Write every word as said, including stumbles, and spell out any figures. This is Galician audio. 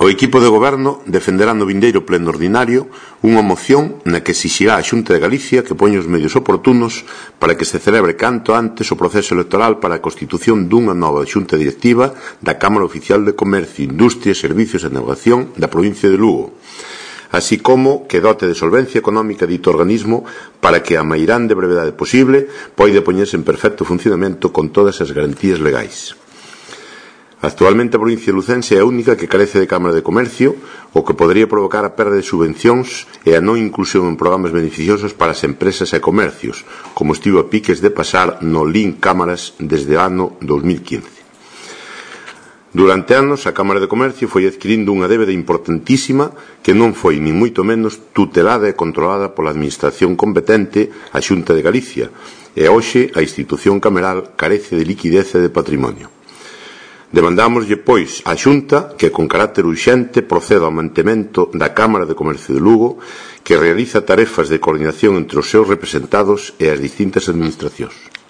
O equipo de goberno defenderá no vindeiro pleno ordinario unha moción na que exixirá á Xunta de Galicia que poña os medios oportunos para que se celebre canto antes o proceso electoral para a constitución dunha nova Xunta Directiva da Cámara Oficial de Comercio, Industria, Servicios e Navegación da provincia de Lugo, así como que dote de solvencia económica dito organismo para que a mairán de brevedade posible poida poñerse en perfecto funcionamento con todas as garantías legais. Actualmente a provincia lucense é a única que carece de Cámara de Comercio, o que podría provocar a perda de subvencións e a non inclusión en programas beneficiosos para as empresas e comercios, como estivo a piques de pasar no Link Cámaras desde o ano dos mil quince. Durante anos, a Cámara de Comercio foi adquirindo unha débeda importantísima que non foi, nin moito menos, tutelada e controlada pola Administración competente, a Xunta de Galicia, e hoxe a institución cameral carece de liquidez e de patrimonio. Demandámoslle, pois, á Xunta que, con carácter urxente, proceda ao mantemento da Cámara de Comercio de Lugo, que realiza tarefas de coordinación entre os seus representados e as distintas administracións.